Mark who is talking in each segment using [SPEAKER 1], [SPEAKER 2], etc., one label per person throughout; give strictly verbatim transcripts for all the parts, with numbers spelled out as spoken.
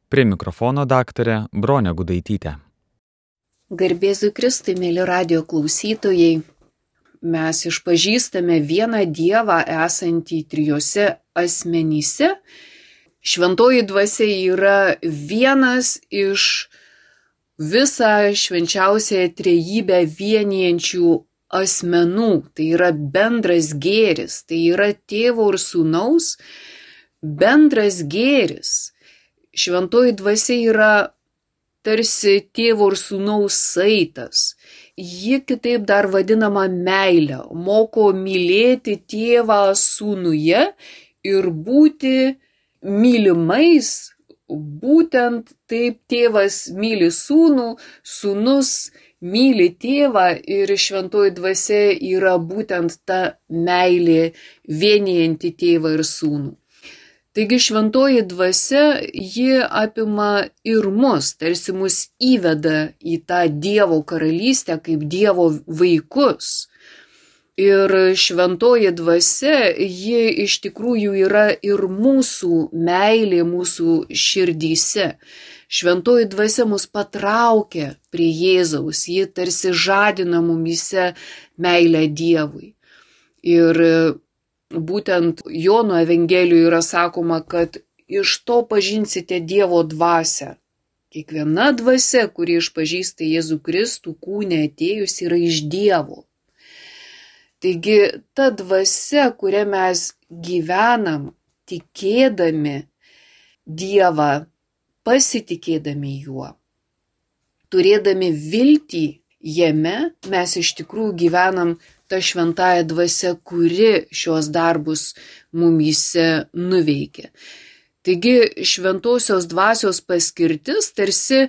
[SPEAKER 1] Prie mikrofono daktarė Bronė Gudaitytė.
[SPEAKER 2] Garbėzui Kristui, mėly radijo klausytojai, mes išpažįstame vieną Dievą esantį trijose asmenyse. Šventoji dvasia yra vienas iš visą švenčiausiąją trejybę vienijančių asmenų. Tai yra bendras gėris, tai yra tėvo ir sūnaus bendras gėris. Šventoji dvasia yra tarsi tėvo ir sūnaus saitas. Ji kitaip dar vadinama meile, moko mylėti tėvą sūnuje ir būti mylimais. Būtent taip tėvas myli sūnų, sūnus myli tėvą ir šventoji dvasia yra būtent ta meilė vienijanti tėvą ir sūnų. Taigi šventoji dvasia, ji apima ir mus, tarsi mus įveda į tą Dievo karalystę kaip Dievo vaikus. Ir šventoji dvasia, ji iš tikrųjų yra ir mūsų meilė, mūsų širdyse. Šventoji dvasia mus patraukia prie Jėzaus, ji tarsi žadina mumyse meilę Dievui. Ir būtent Jono Evangelijoje yra sakoma, kad iš to pažinsite Dievo dvasią. Kiekviena dvasia, kuri išpažįsta Jėzų Kristų kūne atėjus, yra iš Dievo. Taigi ta dvasia, kuria mes gyvenam, tikėdami Dievą, pasitikėdami Juo, turėdami viltį jame, mes iš tikrųjų gyvenam ta šventąja dvasia, kuri šios darbus mumyse nuveikia. Taigi šventosios dvasios paskirtis tarsi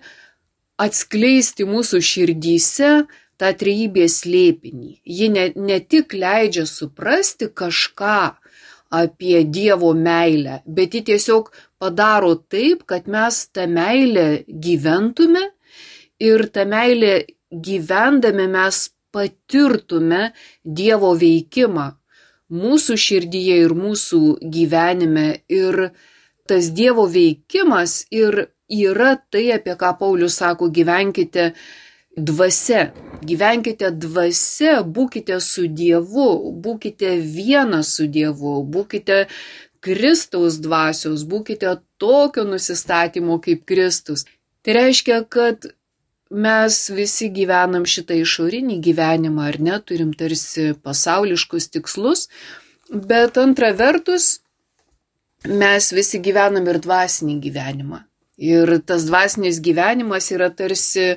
[SPEAKER 2] atskleisti mūsų širdyse tą trejybės slėpinį. Ji ne, ne tik leidžia suprasti kažką apie Dievo meilę, bet ji tiesiog padaro taip, kad mes tą meilę gyventume ir tą meilę gyvendami mes patirtume Dievo veikimą mūsų širdyje ir mūsų gyvenime. Ir tas Dievo veikimas ir yra tai, apie ką Paulius sako, gyvenkite dvasia. Gyvenkite dvasia, būkite su Dievu, būkite vienas su Dievu, būkite Kristaus dvasios, būkite tokio nusistatymo kaip Kristus. Tai reiškia, kad mes visi gyvenam šitą išorinį gyvenimą, ar ne, turim tarsi pasauliškus tikslus, bet antra vertus, mes visi gyvenam ir dvasinį gyvenimą. Ir tas dvasinis gyvenimas yra tarsi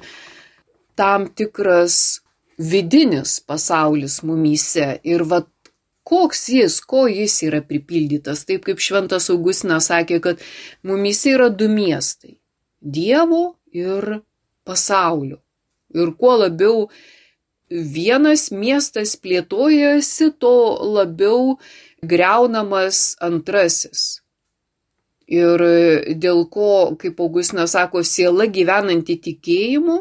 [SPEAKER 2] tam tikras vidinis pasaulis mumyse. Ir vat koks jis, ko jis yra pripildytas, taip kaip šventas Augustinas sakė, kad mumyse yra du miestai – Dievo ir pasaulio. Ir kuo labiau vienas miestas plėtojasi, to labiau griaunamas antrasis. Ir dėl ko, kaip Augustinas sako, siela gyvenanti tikėjimu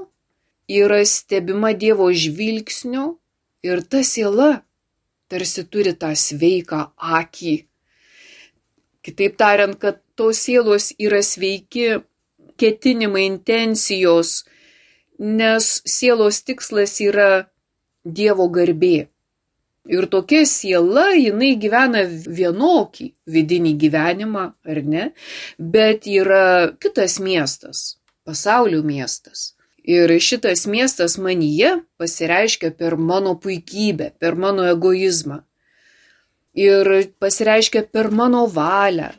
[SPEAKER 2] yra stebima Dievo žvilgsnio ir ta siela tarsi turi tą sveiką akį. Kitaip tariant, kad tos sielos yra sveiki ketinimai, intencijos, nes sielos tikslas yra Dievo garbė. Ir tokia siela, jinai gyvena vienokį vidinį gyvenimą, ar ne? Bet yra kitas miestas, pasaulio miestas. Ir šitas miestas manyje pasireiškia per mano puikybę, per mano egoizmą. Ir pasireiškia per mano valią,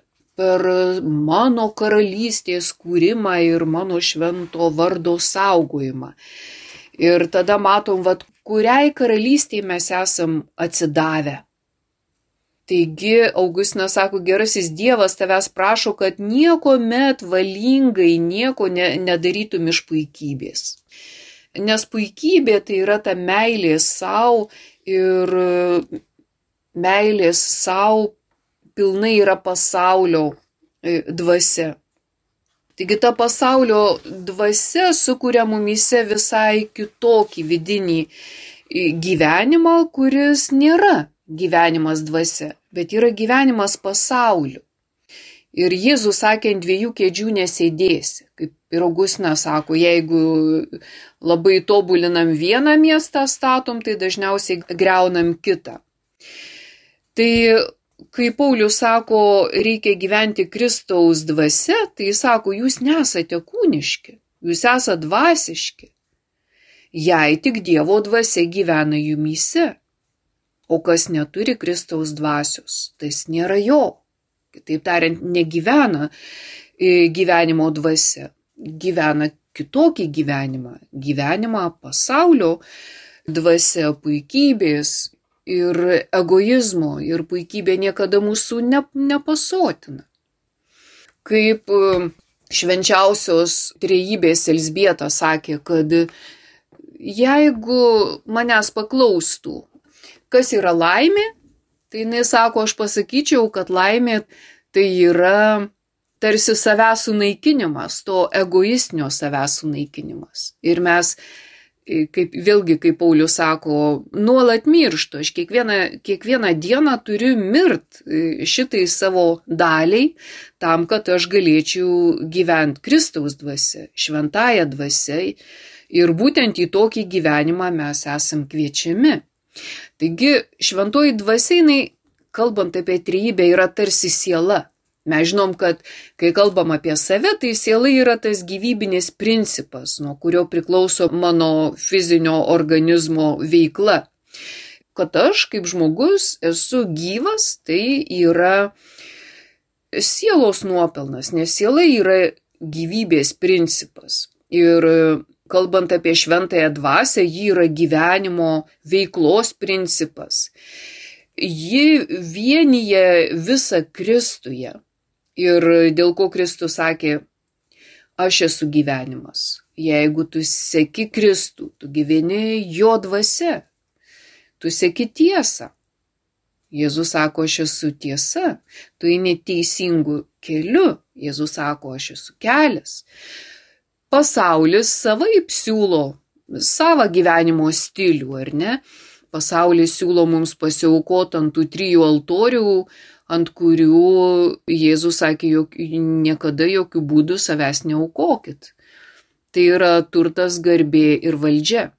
[SPEAKER 2] per mano karalystės kūrimą ir mano švento vardo saugojimą. Ir tada matom, vat, kuriai karalystėje mes esam atsidavę. Taigi Augustinas sako, gerasis Dievas tavęs prašo, kad nieko met valingai nieko ne, nedarytum iš puikybės. Nes puikybė tai yra ta meilė savo ir meilės savo pilnai yra pasaulio dvasia. Taigi ta pasaulio dvasia sukuria mumyse visai kitokį vidinį gyvenimą, kuris nėra gyvenimas dvasia, bet yra gyvenimas pasauliu. Ir Jėzus sakė, ant dviejų kėdžių nesėdėsi. Kaip ir Augustinas sako, jeigu labai tobulinam vieną miestą statom, tai dažniausiai greunam kitą. Tai kai Paulius sako, reikia gyventi Kristaus dvasia, tai jis sako, jūs nesate kūniški, jūs esate dvasiški. Jei tik Dievo dvasia gyvena jumyse, o kas neturi Kristaus dvasios, tas nėra jo. Kitaip tariant, negyvena gyvenimo dvasia, gyvena kitokį gyvenimą, gyvenimą pasaulio dvasia, puikybės ir egoizmo, ir puikybė niekada mūsų ne, nepasotina. Kaip švenčiausios trejybės Elzbieta sakė, kad jeigu manęs paklaustų, kas yra laimė, tai jinai sako, aš pasakyčiau, kad laimė tai yra tarsi savęs sunaikinimas, to egoistinio savęs sunaikinimas. Ir mes, kaip, vėlgi, kaip Paulius sako, nuolat mirštu, aš kiekvieną, kiekvieną dieną turiu mirt šitai savo daliai, tam, kad aš galėčiau gyventi Kristaus dvasia, šventąją dvasia. Ir būtent į tokį gyvenimą mes esam kviečiami. Taigi šventoji dvasia, jinai, kalbant apie trejybę, yra tarsi siela. Mes žinom, kad kai kalbam apie save, tai siela yra tas gyvybinis principas, nuo kurio priklauso mano fizinio organizmo veikla. Kad aš kaip žmogus esu gyvas, tai yra sielos nuopelnas, nes siela yra gyvybės principas. Ir kalbant apie šventąją dvasią, ji yra gyvenimo veiklos principas. Ji vienyje visą Kristuje. Ir dėl ko Kristus sakė, aš esu gyvenimas. Jeigu tu seki Kristų, tu gyveni jo dvasia. Tu seki tiesą. Jėzus sako, aš esu tiesa. Tu eini teisingu keliu. Jėzus sako, aš esu kelias. Pasaulis savaip siūlo savo gyvenimo stilių, ar ne? Pasaulis siūlo mums pasiaukoti ant tų trijų altorių, ant kurių Jėzus sakė, jog niekada jokių būdų savęs neaukokit. Tai yra turtas, garbė ir valdžia.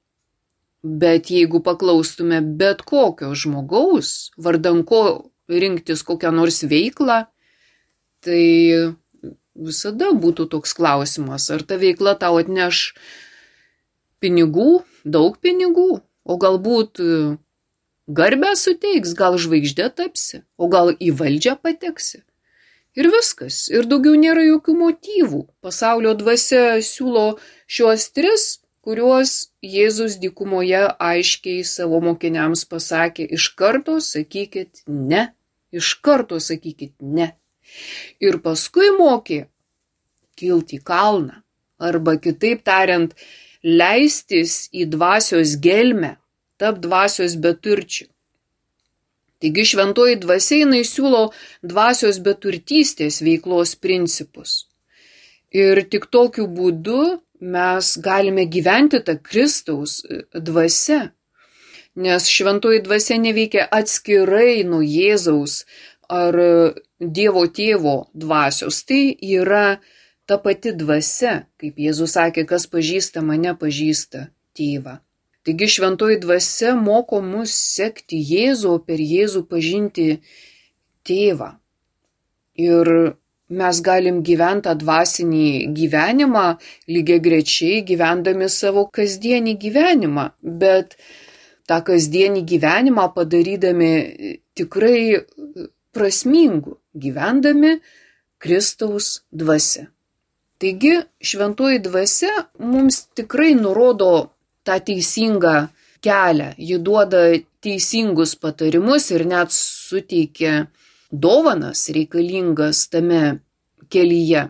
[SPEAKER 2] Bet jeigu paklaustume bet kokio žmogaus, vardan ko rinktis kokią nors veiklą, tai visada būtų toks klausimas, ar ta veikla tau atneš pinigų, daug pinigų, o galbūt garbę suteiks, gal žvaigždė tapsi, o gal į valdžią pateksi. Ir viskas, ir daugiau nėra jokių motyvų. Pasaulio dvasia siūlo šiuos tris, kuriuos Jėzus dykumoje aiškiai savo mokiniams pasakė, iš karto sakykit ne, iš karto sakykit ne. Ir paskui mokė kilti į kalną, arba kitaip tariant, leistis į dvasios gelmę, tap dvasios beturčių. Taigi šventoji dvasia, jinai siūlo dvasios beturtystės veiklos principus. Ir tik tokiu būdu mes galime gyventi tą Kristaus dvasia, nes šventoji dvasia neveikia atskirai nuo Jėzaus ar Dievo tėvo dvasios. Tai yra ta pati dvasia, kaip Jėzus sakė, kas pažįsta mane, pažįsta tėvą. Taigi šventoji dvasia moko mus sekti Jėzų, per Jėzų pažinti tėvą. Ir mes galim gyventi tą dvasinį gyvenimą, lygiagrečiai gyvendami savo kasdienį gyvenimą, bet tą kasdienį gyvenimą padarydami tikrai prasmingu, gyvendami Kristaus dvasia. Taigi šventoji dvasia mums tikrai nurodo tą teisingą kelią, ji duoda teisingus patarimus ir net suteikia dovanas reikalingas tame kelyje,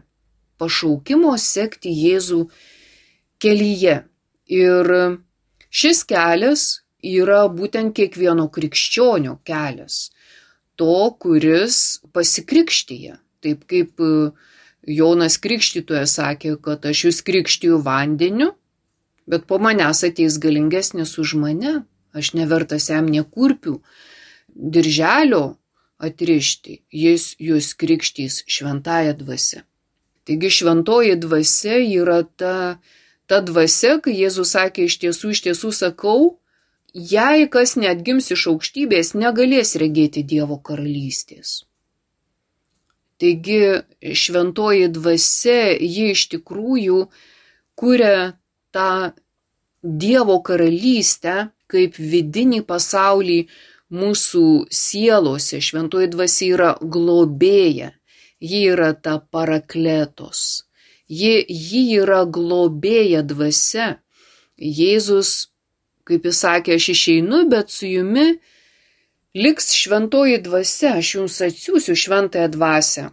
[SPEAKER 2] pašaukimo sekti Jėzų kelyje. Ir šis kelias yra būtent kiekvieno krikščionio kelias, to, kuris pasikrikštyja. Taip kaip Jonas Krikštytojas sakė, kad aš jūs krikštiju vandeniu, bet po manęs ateis galingesnis už mane, aš nevertas jam nė kurpių, dirželio atrišti, jis jūs krikštys šventąja dvasia. Taigi šventoji dvasia yra ta, ta dvasia, kai Jėzus sakė, iš tiesų, iš tiesų sakau, jei kas neatgims iš aukštybės, negalės regėti Dievo karalystės. Taigi šventoji dvasia, ji iš tikrųjų kuria tą Dievo karalystę kaip vidinį pasaulį mūsų sielose. Šventoji dvasia yra globėja, ji yra ta parakletos, ji, ji yra globėja dvasia. Jėzus, kaip jis sakė, aš išeinu, bet su jumi liks šventoji dvasia, aš jums atsiųsiu šventąją dvasią.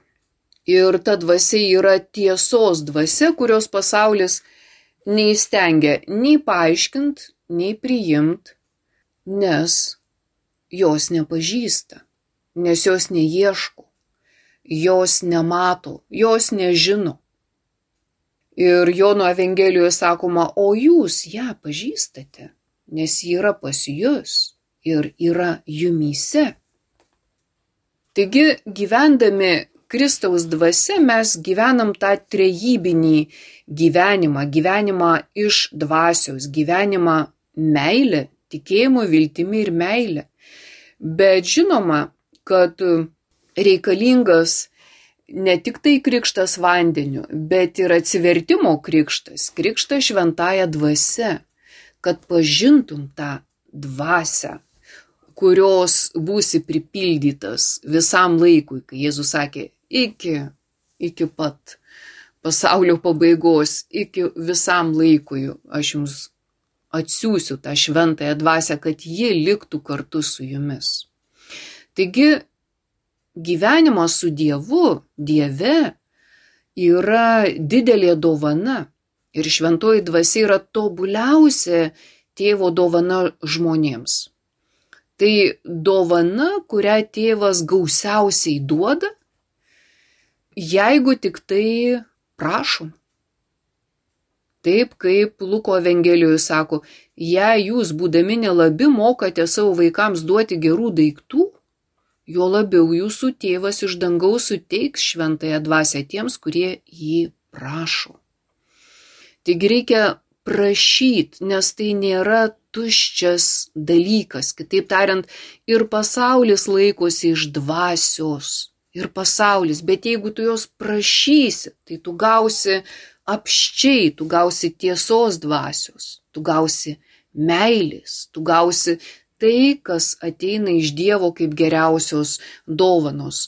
[SPEAKER 2] Ir ta dvasia yra tiesos dvasia, kurios pasaulis neįstengia nei paaiškint, nei priimt, nes jos nepažįsta, nes jos neieško, jos nemato, jos nežino. Ir Jono Evangelijoje sakoma, o jūs ją pažįstate, nes ji yra pas jus ir yra jumyse. Taigi, gyvendami Kristaus dvasia, mes gyvenam tą trejybinį gyvenimą, gyvenimą iš dvasios, gyvenimą meilę, tikėjimu, viltimi ir meilę. Bet žinoma, kad reikalingas ne tik tai krikštas vandeniu, bet ir atsivertimo krikštas, krikštas šventąja dvasia, kad pažintum tą dvasią, kurios būsi pripildytas visam laikui, kai Jėzus sakė, iki, iki pat pasaulio pabaigos, iki visam laikui aš jums atsiųsiu tą šventąją dvasią, kad ji liktų kartu su jumis. Taigi, gyvenimas su Dievu, Dieve, yra didelė dovana ir šventoji dvasia yra tobuliausia tėvo dovana žmonėms. Tai dovana, kurią tėvas gausiausiai duoda, jeigu tik tai prašom. Taip kaip Luko Evangelijoje sako, jei jūs būdami nelabi mokate savo vaikams duoti gerų daiktų, juo labiau jūsų tėvas iš dangaus suteiks šventąją dvasią tiems, kurie jį prašo. Taigi reikia prašyti, nes tai nėra tuščias dalykas. Kitaip tariant, ir pasaulis laikosi iš dvasios, ir pasaulis, bet jeigu tu jos prašysi, tai tu gausi apščiai, tu gausi tiesos dvasios, tu gausi meilės, tu gausi tai, kas ateina iš Dievo kaip geriausios dovanos.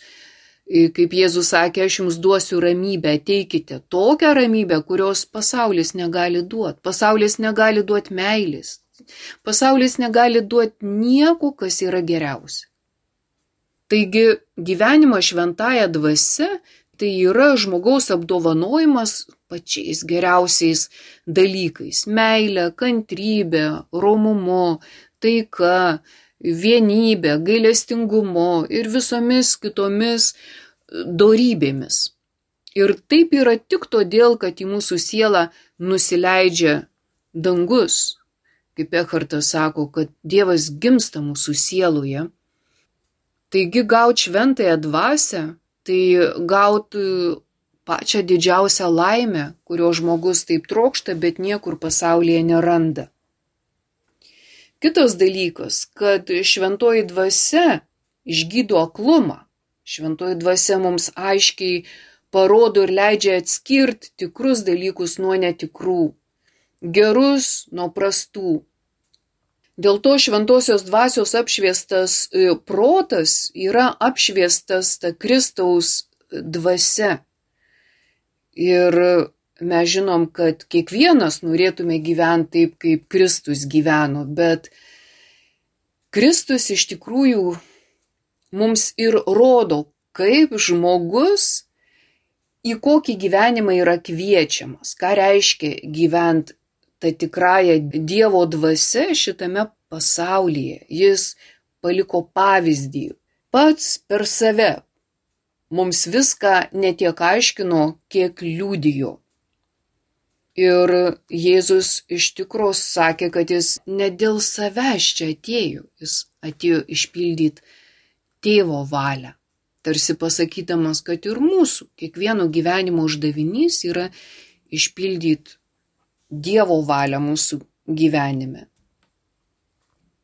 [SPEAKER 2] Kaip Jėzus sakė, aš jums duosiu ramybę, ateikite tokią ramybę, kurios pasaulis negali duoti. Pasaulis negali duoti meilės. Pasaulis negali duoti nieko, kas yra geriausia. Taigi gyvenimas šventąja dvasia tai yra žmogaus apdovanojimas pačiais geriausiais dalykais. Meilė, kantrybė, romumu, taika, vienybė, gailestingumu ir visomis kitomis dorybėmis. Ir taip yra tik todėl, kad į mūsų sielą nusileidžia dangus. Kaip Ekhartas sako, kad Dievas gimsta mūsų sieloje. Taigi gauti šventąją dvasią, tai gauti pačią didžiausią laimę, kurio žmogus taip trokšta, bet niekur pasaulyje neranda. Kitas dalykas, kad šventoji dvasia išgydo aklumą. Šventoji dvasia mums aiškiai parodo ir leidžia atskirti tikrus dalykus nuo netikrų, gerus nuo prastų. Dėl to šventosios dvasios apšviestas protas yra apšviestas ta Kristaus dvasia. Ir mes žinom, kad kiekvienas norėtume gyventi taip, kaip Kristus gyveno, bet Kristus iš tikrųjų mums ir rodo, kaip žmogus į kokį gyvenimą yra kviečiamas, ką reiškia gyventi tą tikrąją Dievo dvasia šitame pasaulyje. Jis paliko pavyzdį pats per save. Mums viską netiek aiškino, kiek liudijo. Ir Jėzus iš tikros sakė, kad jis ne dėl savęs čia atėjo, jis atėjo išpildyti tėvo valią. Tarsi pasakydamas, kad ir mūsų, kiekvieno gyvenimo uždavinys yra išpildyti Dievo valią mūsų gyvenime.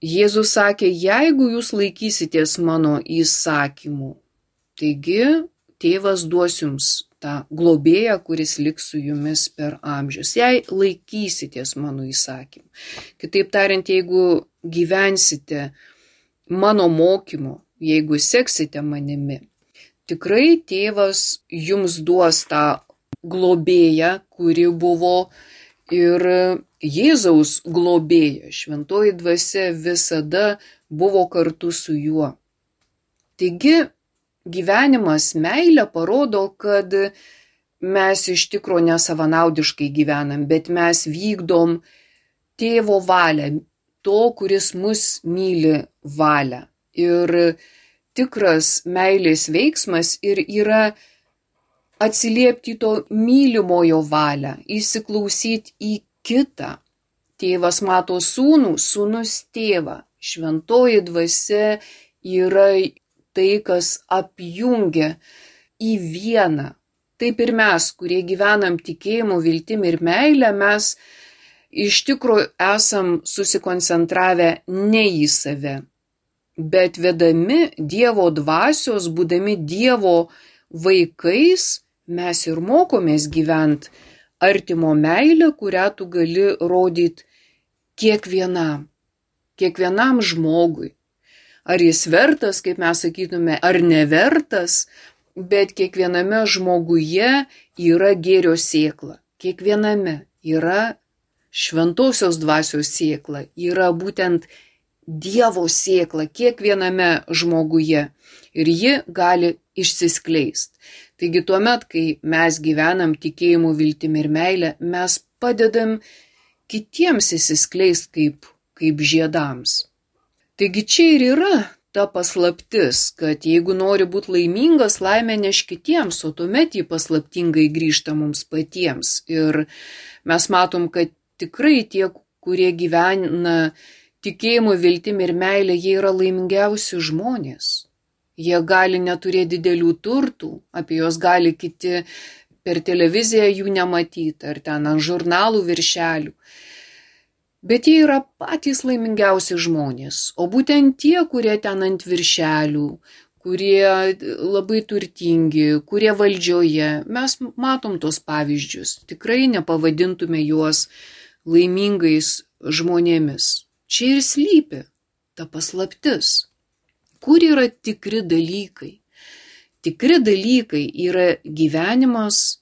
[SPEAKER 2] Jėzus sakė, jeigu jūs laikysitės mano įsakymų, taigi tėvas duos jums tą globėją, kuris liks su jumis per amžius. Jei laikysitės mano įsakymų. Kitaip tariant, jeigu gyvensite mano mokymu, jeigu seksite manimi, tikrai tėvas jums duos tą globėją, kuri buvo ir Jėzaus globėja. Šventoji dvasia visada buvo kartu su juo. Taigi gyvenimas meilė parodo, kad mes iš tikro nesavanaudiškai gyvenam, bet mes vykdom tėvo valią, to, kuris mus myli valią. Ir tikras meilės veiksmas ir yra atsiliepti to mylimojo valią, įsiklausyti į kitą. Tėvas mato sūnų, sūnus tėvą. Šventoji dvasia yra tai, kas apjungia į vieną. Taip ir mes, kurie gyvenam tikėjimu, viltim ir meilę, mes iš tikrųjų esam susikoncentravę ne į save, bet vedami Dievo dvasios, būdami Dievo vaikais, mes ir mokomės gyventi artimo meilę, kurią tu gali rodyti kiekvienam, kiekvienam žmogui. Ar jis vertas, kaip mes sakytume, ar nevertas, bet kiekviename žmoguje yra gėrio sėkla. Kiekviename yra šventosios dvasios sėkla, yra būtent Dievo sėkla kiekviename žmoguje ir ji gali išsiskleisti. Taigi tuomet, kai mes gyvenam tikėjimu, viltim ir meilę, mes padedam kitiems įsiskleisti kaip, kaip žiedams. Taigi čia ir yra ta paslaptis, kad jeigu nori būti laimingas, laimę neš kitiems, o tuomet jį paslaptingai grįžta mums patiems. Ir mes matom, kad tikrai tie, kurie gyvena tikėjimu, viltim ir meilė, jie yra laimingiausi žmonės. Jie gali neturėti didelių turtų, apie juos gali kiti per televiziją jų nematyti, ar ten ant žurnalų viršelių. Bet jie yra patys laimingiausi žmonės, o būtent tie, kurie ten ant viršelių, kurie labai turtingi, kurie valdžioje, mes matom tos pavyzdžius, tikrai nepavadintume juos laimingais žmonėmis. Čia ir slypi ta paslaptis. Kur yra tikri dalykai? Tikri dalykai yra gyvenimas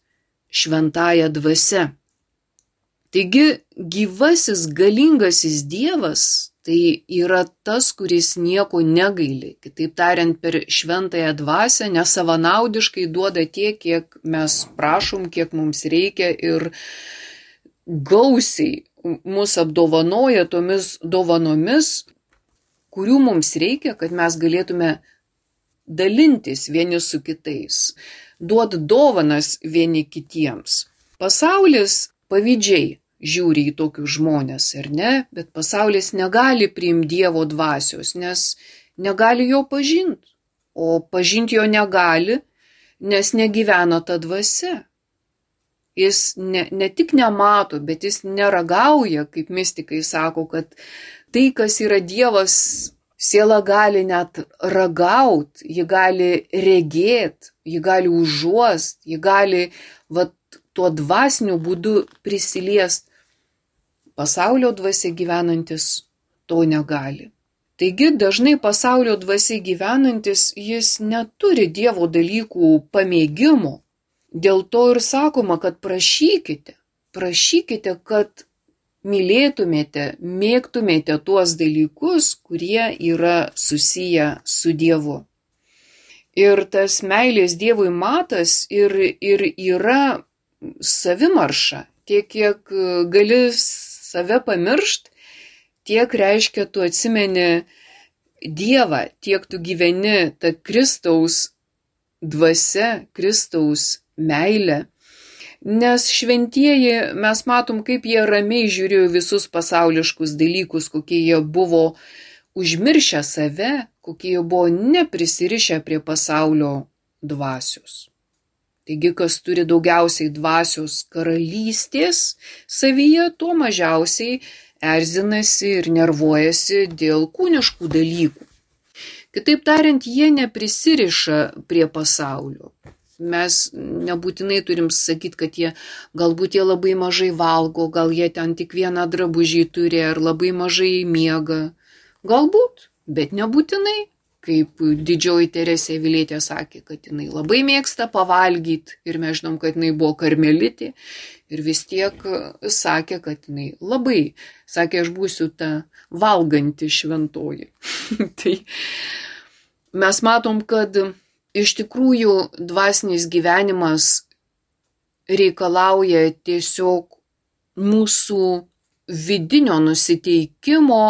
[SPEAKER 2] šventąja dvasia. Taigi gyvasis galingasis Dievas tai yra tas, kuris nieko negaili. Kitaip tariant, per šventąją dvasią nesavanaudiškai duoda tiek, kiek mes prašom, kiek mums reikia ir gausiai mus apdovanoja tomis dovanomis, kurių mums reikia, kad mes galėtume dalintis vieni su kitais, duoti dovanas vieni kitiems. Pasaulis pavydžiai žiūri į tokius žmonės, ar ne? Bet pasaulis negali priimti Dievo dvasios, nes negali jo pažinti. O pažinti jo negali, nes negyvena ta dvasia. Jis ne, ne tik nemato, bet jis neragauja, kaip mistikai sako, kad tai, kas yra Dievas, siela gali net ragaut, ji gali regėt, ji gali užuost, ji gali va, tuo dvasiniu būdu prisiliest. Pasaulio dvasia gyvenantis to negali. Taigi dažnai pasaulio dvasia gyvenantis jis neturi Dievo dalykų pamėgimo. Dėl to ir sakoma, kad prašykite, prašykite, kad mylėtumėte, mėgtumėte tuos dalykus, kurie yra susiję su Dievu. Ir tas meilės Dievui matas ir, ir yra savimarša. Tiek, kiek gali save pamiršt, tiek reiškia tu atsimeni Dievą, tiek tu gyveni tą Kristaus dvasia, Kristaus meilė. Nes šventieji, mes matom, kaip jie ramiai žiūrėjo visus pasauliškus dalykus, kokie jie buvo užmiršę save, kokie jie buvo neprisirišę prie pasaulio dvasios. Taigi, kas turi daugiausiai dvasios karalystės savyje, tuo mažiausiai erzinasi ir nervuojasi dėl kūniškų dalykų. Kitaip tariant, jie neprisiriša prie pasaulio. Mes nebūtinai turim sakyti, kad jie galbūt jie labai mažai valgo, gal jie ten tik vieną drabužį turi ar labai mažai miega. Galbūt, bet nebūtinai. Kaip didžioji Teresė Avilietė sakė, kad jinai labai mėgsta pavalgyti ir mes žinom, kad jinai buvo karmelitė ir vis tiek sakė, kad jinai labai, sakė, aš būsiu ta valganti šventoji. Tai mes matom, kad iš tikrųjų dvasinis gyvenimas reikalauja tiesiog mūsų vidinio nusiteikimo,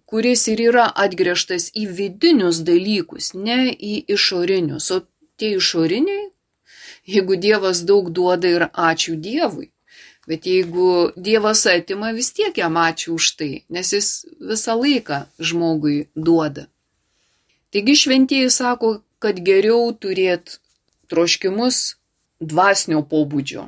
[SPEAKER 2] kuris ir yra atgręžtas į vidinius dalykus, ne į išorinius. O tie išoriniai, jeigu Dievas daug duoda ir ačiū Dievui, bet jeigu Dievas atima, vis tiek jam ačiū už tai, nes jis visą laiką žmogui duoda. Taigi šventieji sako, kad geriau turėti troškimus dvasinio pobūdžio.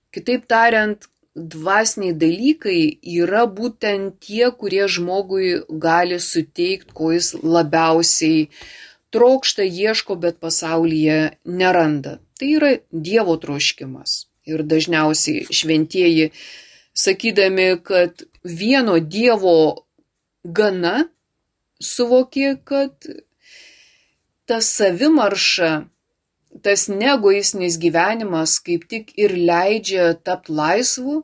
[SPEAKER 2] Kitaip tariant, dvasiniai dalykai yra būtent tie, kurie žmogui gali suteikti, ko jis labiausiai trokšta, ieško, bet pasaulyje neranda. Tai yra Dievo troškimas. Ir dažniausiai šventieji, sakydami, kad vieno Dievo gana, suvokė, kad ta savimarša, tas neegoistinis gyvenimas kaip tik ir leidžia tapti laisvu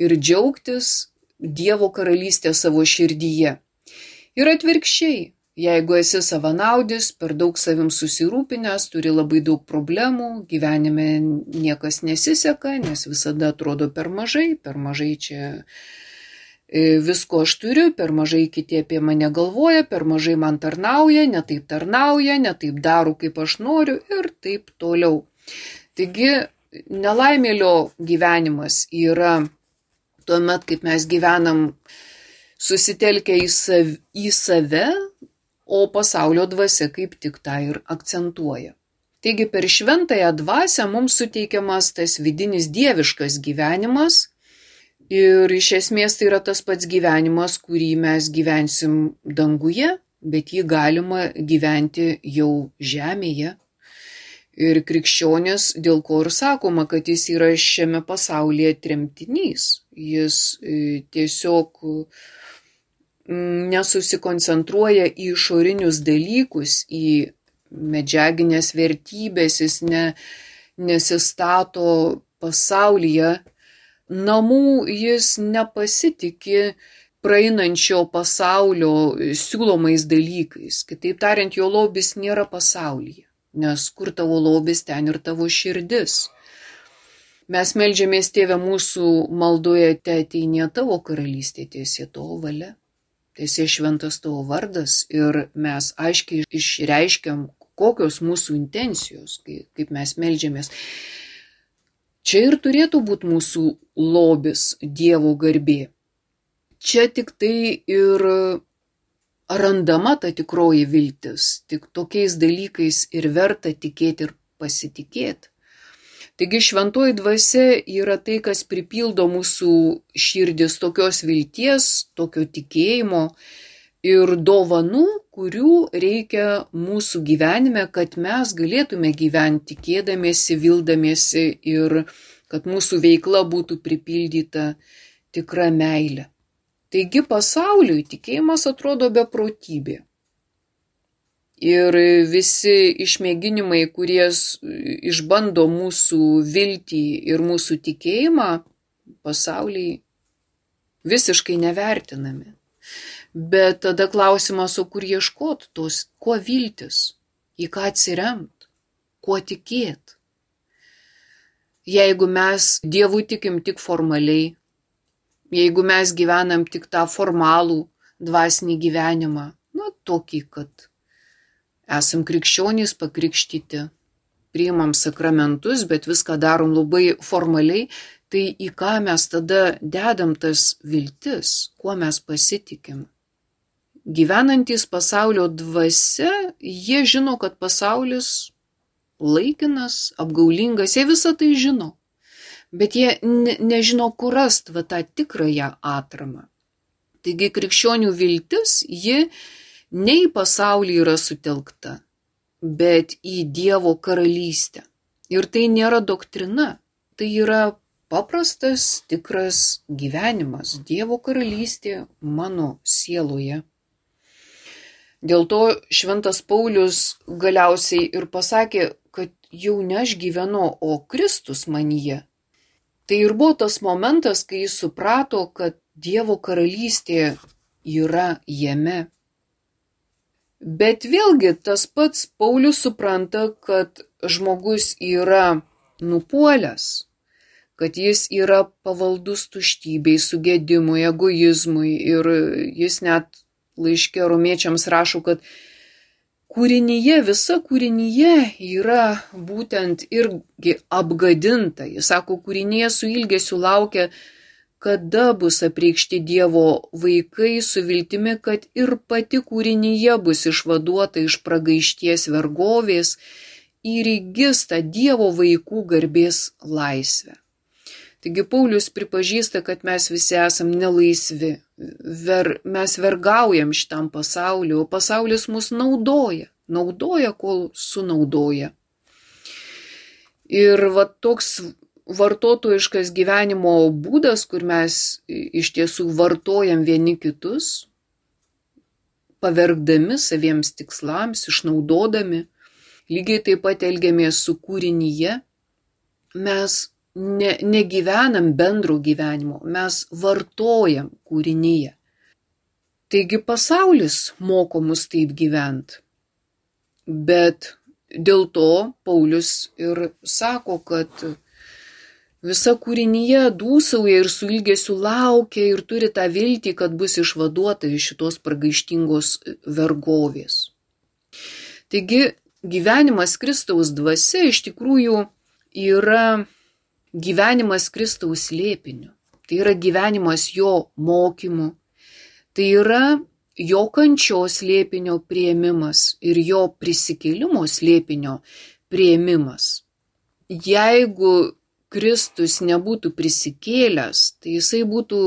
[SPEAKER 2] ir džiaugtis Dievo karalystę savo širdyje. Ir atvirkščiai, jeigu esi savanaudis, per daug savim susirūpinęs, turi labai daug problemų, gyvenime niekas nesiseka, nes visada atrodo per mažai, per mažai čia visko aš turiu, per mažai kiti apie mane galvoja, per mažai man tarnauja, ne taip tarnauja, ne taip daro, kaip aš noriu ir taip toliau. Taigi, nelaimėlio gyvenimas yra tuomet, kaip mes gyvenam susitelkę į, sav, į save, o pasaulio dvasia kaip tik tą ir akcentuoja. Taigi, per šventąją dvasią mums suteikiamas tas vidinis dieviškas gyvenimas, ir iš esmės tai yra tas pats gyvenimas, kurį mes gyvensim danguje, bet jį galima gyventi jau žemėje. Ir krikščionis, dėl ko ir sakoma, kad jis yra šiame pasaulyje tremtinys. Jis tiesiog nesusikoncentruoja į išorinius dalykus, į medžiaginės vertybės, jis ne, nesistato pasaulyje namų, jis nepasitikė praeinančio pasaulio siūlomais dalykais. Kitaip tariant, jo lobis nėra pasaulyje, nes kur tavo lobis, ten ir tavo širdis. Mes meldžiamės, Tėve mūsų maldoje, te ateinie tavo karalystė, tiesie tavo valia, tiesie šventas tavo vardas, ir mes aiškiai išreiškiam, kokios mūsų intencijos, kaip mes meldžiamės. Čia ir turėtų būti mūsų lobis, Dievo garbė. Čia tik tai ir randama ta tikroji viltis, tik tokiais dalykais ir verta tikėti ir pasitikėti. Taigi šventoji dvasia yra tai, kas pripildo mūsų širdis tokios vilties, tokio tikėjimo ir dovanų, kurių reikia mūsų gyvenime, kad mes galėtume gyventi tikėdamiesi, vildamiesi ir kad mūsų veikla būtų pripildyta tikra meilė. Taigi pasauliui tikėjimas atrodo beprotybė. Ir visi išmėginimai, kurie išbando mūsų viltį ir mūsų tikėjimą, pasauliai visiškai nevertinami. Bet tada klausimas, o kur ieškot tos, kuo viltis, į ką atsiremt, kuo tikėt. Jeigu mes Dievui tikim tik formaliai, jeigu mes gyvenam tik tą formalų dvasinį gyvenimą, na tokį, kad esam krikščionys pakrikštyti, priimam sakramentus, bet viską darom labai formaliai, tai į ką mes tada dedam tas viltis, kuo mes pasitikim. gyvenantys pasaulio dvasia, jie žino, kad pasaulis laikinas, apgaulingas, jie visą tai žino. Bet jie ne, nežino, kur rasti va tą tikrąją atramą. Taigi krikščionių viltis, ji ne į pasaulį yra sutelkta, bet į Dievo karalystę. Ir tai nėra doktrina, tai yra paprastas, tikras gyvenimas, Dievo karalystė mano sieloje. Dėl to šventas Paulius galiausiai ir pasakė, kad jau ne aš gyvenu, o Kristus manyje. Tai ir buvo tas momentas, kai jis suprato, kad Dievo karalystė yra jame. Bet vėlgi tas pats Paulius supranta, kad žmogus yra nupuolęs, kad jis yra pavaldus tuštybei, sugėdimui, egoizmui ir jis net laiške romiečiams rašo, kad kūrinyje, visa kūrinyje yra būtent irgi apgadinta. Jis sako, kūrinyje su ilgesiu laukia, kada bus apreikšti Dievo vaikai su viltimi, kad ir pati kūrinyje bus išvaduota iš pragaišties vergovės ir įgis tą Dievo vaikų garbės laisvę. Taigi Paulius pripažįsta, kad mes visi esam nelaisvi, ver, mes vergaujam šitam pasauliu, o pasaulis mus naudoja, naudoja, kol sunaudoja. Ir va toks vartotojiškas gyvenimo būdas, kur mes iš tiesų vartojam vieni kitus, pavergdami saviems tikslams, išnaudodami, lygiai taip pat elgiamės su kūrinyje, mes ne, negyvenam bendro gyvenimo, mes vartojam kūrinyje. Taigi pasaulis moko mus taip gyventi. Bet dėl to Paulius ir sako, kad visa kūrinyje dūsauja ir su ilgesiu laukia ir turi tą viltį, kad bus išvaduota iš šitos pragaištingos vergovės. Taigi gyvenimas Kristaus dvasia iš tikrųjų yra gyvenimas Kristaus slėpiniu. Tai yra gyvenimas jo mokymu. Tai yra jo kančios slėpinio priėmimas ir jo prisikėlimo slėpinio priėmimas. Jeigu Kristus nebūtų prisikėlęs, tai jisai būtų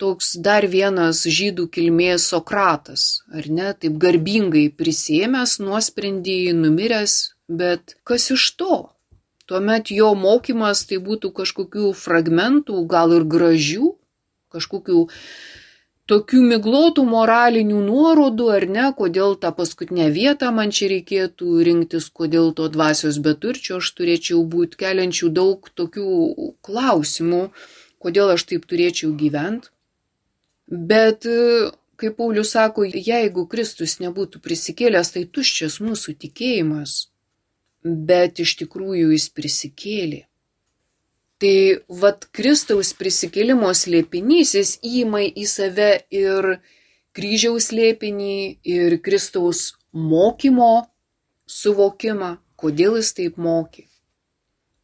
[SPEAKER 2] toks dar vienas žydų kilmės Sokratas, ar ne, taip garbingai prisiėmęs nuosprendį, numiręs, bet kas iš to? Tuomet jo mokymas tai būtų kažkokių fragmentų, gal ir gražių, kažkokių tokių miglotų moralinių nuorodų, ar ne, kodėl tą paskutinę vietą man čia reikėtų rinktis, kodėl to dvasios beturčio aš turėčiau būti, keliančių daug tokių klausimų, kodėl aš taip turėčiau gyventi. Bet, kaip Paulius sako, jeigu Kristus nebūtų prisikėlęs, tai tuščias mūsų tikėjimas, bet iš tikrųjų jis prisikėlė. Tai vat Kristaus prisikėlimo slėpinys, jis įima į save ir kryžiaus slėpinį, ir Kristaus mokymo suvokimą, kodėl jis taip mokė.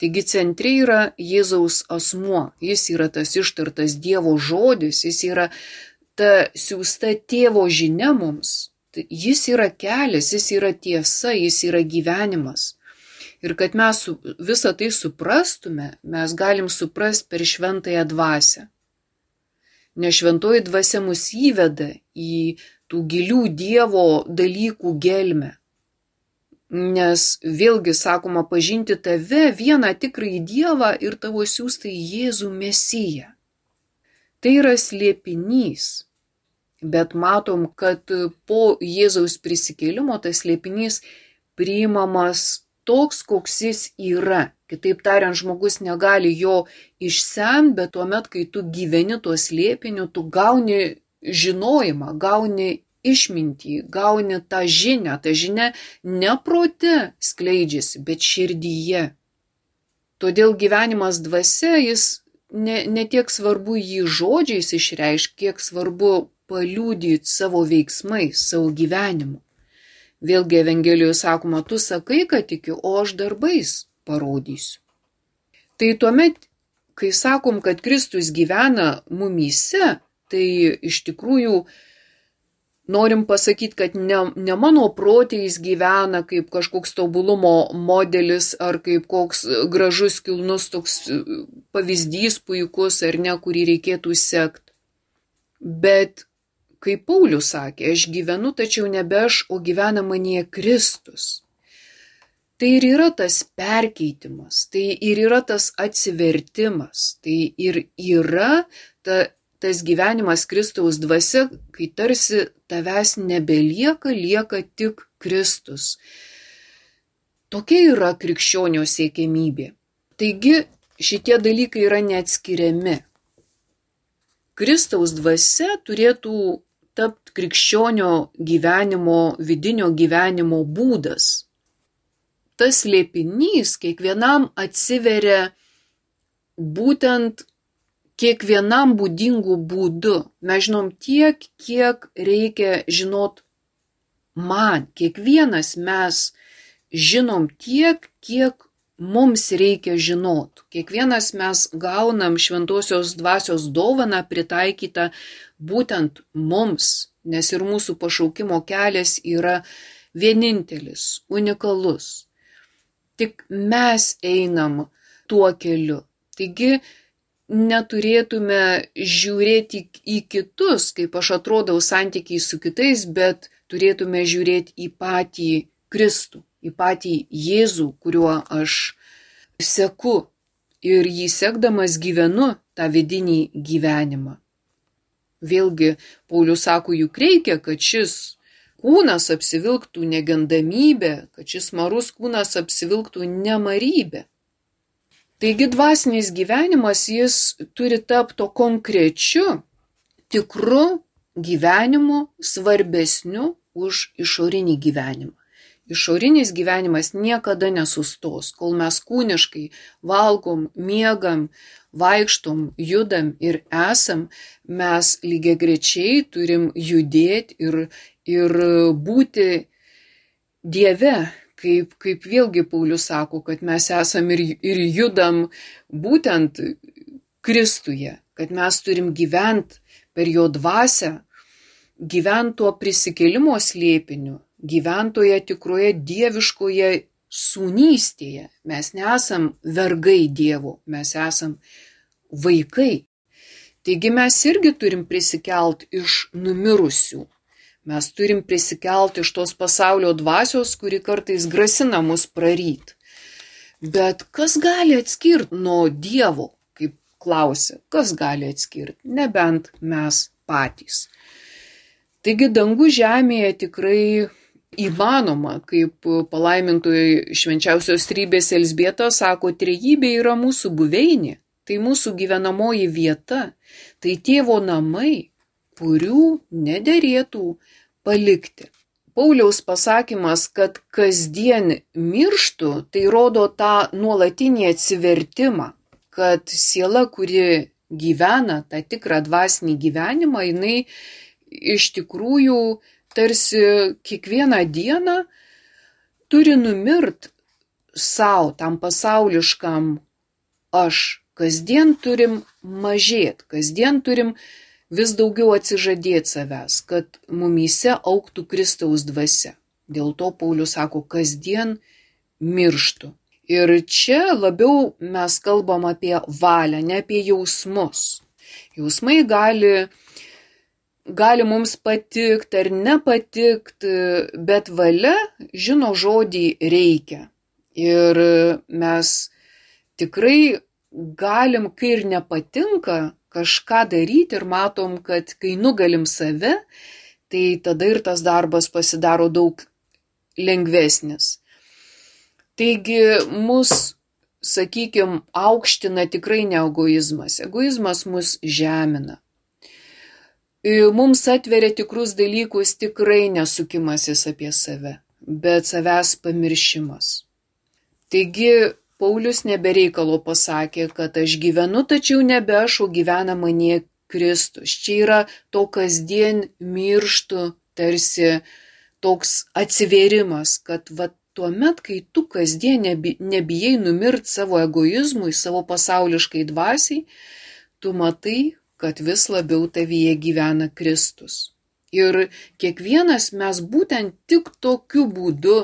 [SPEAKER 2] Taigi centre yra Jėzaus asmuo, jis yra tas ištartas Dievo žodis, jis yra ta siųsta tėvo žinia mums. Jis yra kelias, jis yra tiesa, jis yra gyvenimas. Ir kad mes visą tai suprastume, mes galim suprasti per šventąją dvasią. Nes šventoji dvasia mus įveda į tų gilių Dievo dalykų gelmę. Nes vėlgi sakoma pažinti tave, vieną tikrąjį Dievą ir tavo siųstą Jėzų Mesiją. Tai yra slėpinys. Bet matom, kad po Jėzaus prisikėlimo tas slėpinys priimamas toks, koks jis yra. Kitaip tariant, žmogus negali jo išsemti, bet tuomet, kai tu gyveni tuo slėpiniu, tu gauni žinojimą, gauni išmintį, gauni tą žinią. Ta žinia ne prote skleidžiasi, bet širdyje. Todėl gyvenimas dvasia, jis ne, ne tiek svarbu jį žodžiais išreiškti, kiek svarbu paliudyti savo veiksmais, savo gyvenimu. Vėlgi Evangelijoje sakoma, tu sakai, kad tikiu, o aš darbais parodysiu. Tai tuomet, kai sakom, kad Kristus gyvena mumyse, tai iš tikrųjų norim pasakyti, kad ne, ne mano protėjais gyvena kaip kažkoks tobulumo modelis ar kaip koks gražus, kilnus toks pavyzdys puikus ar ne, kurį reikėtų sekti. Bet, kaip Paulius sakė, aš gyvenu, tačiau nebe aš, o gyvena manyje Kristus. Tai ir yra tas perkeitimas, tai ir yra tas atsivertimas, tai ir yra ta, tas gyvenimas Kristaus dvasia, kai tarsi tavęs nebelieka, lieka tik Kristus. Tokia yra krikščionio siekiamybė. Taigi šitie dalykai yra neatskiriami. Kristaus dvasia turėtų tapti krikščionio gyvenimo, vidinio gyvenimo būdas. Tas slėpinys kiekvienam atsiveria būtent kiekvienam būdingų būdų. Mes žinom tiek, kiek reikia žinot man. Kiekvienas mes žinom tiek, kiek mums reikia žinot. Kiekvienas mes gaunam šventosios dvasios dovaną pritaikytą būtent mums, nes ir mūsų pašaukimo kelias yra vienintelis, unikalus. Tik mes einam tuo keliu. Taigi neturėtume žiūrėti į kitus, kaip aš atrodau santykiai su kitais, bet turėtume žiūrėti į patį Kristų, į patį Jėzų, kuriuo aš seku ir jį sekdamas gyvenu tą vidinį gyvenimą. Vėlgi, Paulius sako, juk reikia, kad šis kūnas apsivilktų negandamybę, kad šis marus kūnas apsivilktų nemarybę. Taigi dvasinis gyvenimas jis turi tapti to konkrečiu, tikru gyvenimu, svarbesniu už išorinį gyvenimą. Išorinis gyvenimas niekada nesustos, kol mes kūniškai valgom, miegam, vaikštom, judam ir esam, mes lygiagrečiai turim judėti ir, ir būti Dieve, kaip, kaip vėlgi Paulius sako, kad mes esam ir, ir judam būtent Kristuje, kad mes turim gyventi per jo dvasią, gyventi tuo prisikėlimo slėpiniu, gyventoje tikroje dieviškoje sūnystėje. Mes nesam vergai Dievo, mes esam vaikai. Taigi mes irgi turim prisikelt iš numirusių. Mes turim prisikelt iš tos pasaulio dvasios, kuri kartais grasina mus praryt. Bet kas gali atskirti nuo Dievo, kaip klausia, kas gali atskirti, nebent mes patys. Taigi dangų žemėje tikrai įmanoma, kaip palaimintoji švenčiausios trybės Elzbieta sako, trejybė yra mūsų buveinė, tai mūsų gyvenamoji vieta, tai tėvo namai, kurių nederėtų palikti. Pauliaus pasakymas, kad kasdien mirštų, tai rodo tą nuolatinį atsivertimą, kad siela, kuri gyvena tą tikrą dvasinį gyvenimą, jinai iš tikrųjų tarsi kiekvieną dieną turi numirt savo, tam pasauliškam aš. Kasdien turim mažėti, kasdien turim vis daugiau atsižadėti savęs, kad mumyse augtų Kristaus dvasia. Dėl to Paulius sako, kasdien mirštu. Ir čia labiau mes kalbam apie valią, ne apie jausmus. Jausmai gali gali mums patikti ar nepatikti, bet valia žino žodį reikia. Ir mes tikrai galim, kai ir nepatinka, kažką daryti ir matom, kad kai nugalim save, tai tada ir tas darbas pasidaro daug lengvesnis. Taigi mus, sakykime, aukština tikrai ne egoizmas. Egoizmas mus žemina. Mums atveria tikrus dalykus tikrai nesukimasis apie save, bet savęs pamiršimas. Taigi Paulius nebereikalo pasakė, kad aš gyvenu, tačiau nebe aš, o gyvena manyje Kristus. Čia yra to kasdien mirštu tarsi toks atsivėrimas, kad va tuomet, kai tu kasdien nebijai numirt savo egoizmui, savo pasauliškai dvasiai, tu matai, kad vis labiau tavyje gyvena Kristus. Ir kiekvienas mes būtent tik tokiu būdu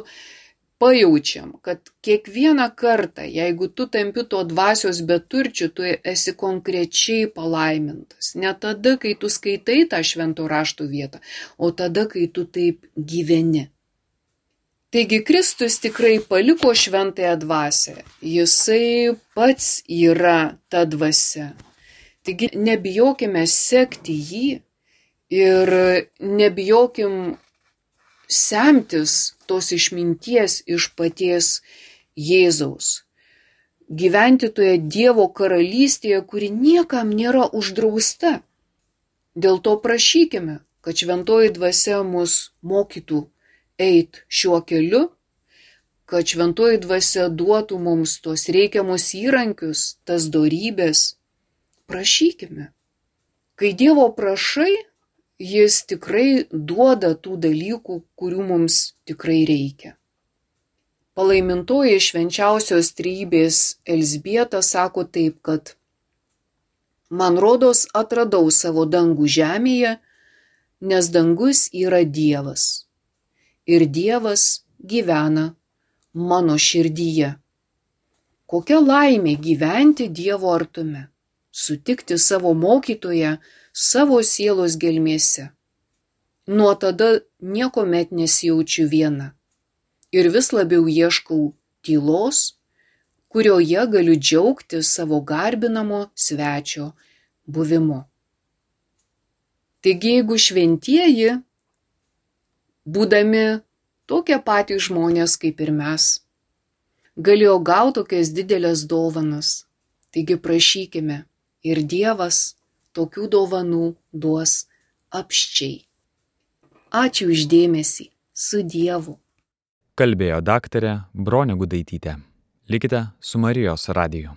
[SPEAKER 2] pajaučiam, kad kiekvieną kartą, jeigu tu tampi to dvasios beturčiu, tu esi konkrečiai palaimintas. Ne tada, kai tu skaitai tą švento rašto vietą, o tada, kai tu taip gyveni. Taigi Kristus tikrai paliko šventąją dvasią. Jisai pats yra ta dvasia. Taigi nebijokime sekti jį ir nebijokim semtis tos išminties iš paties Jėzaus. Gyventi toje Dievo karalystėje, kuri niekam nėra uždrausta. Dėl to prašykime, kad šventoji dvasia mus mokytų eit šiuo keliu, kad šventoji dvasia duotų mums tos reikiamus įrankius, tas dorybės. Prašykime. Kai Dievo prašai, Jis tikrai duoda tų dalykų, kurių mums tikrai reikia. Palaimintoji švenčiausios trejybės Elzbieta sako taip, kad man rodos atradau savo dangų žemėje, nes dangus yra Dievas. Ir Dievas gyvena mano širdyje. Kokia laimė gyventi Dievo artume, sutikti savo mokytoją savo sielos gelmėse. Nuo tada niekuomet nesijaučiu viena ir vis labiau ieškau tylos, kurioje galiu džiaugtis savo garbinamo svečio buvimu. Taigi, jeigu šventieji, būdami tokie patys žmonės kaip ir mes, galėjo gauti tokias didelės dovanas, taigi prašykime ir Dievas tokių dovanų duos apsčiai. Ačiū už dėmesį. Su Dievu.
[SPEAKER 1] Kalbėjo daktarė Bronė Gudaitytė. Likite su Marijos radiju.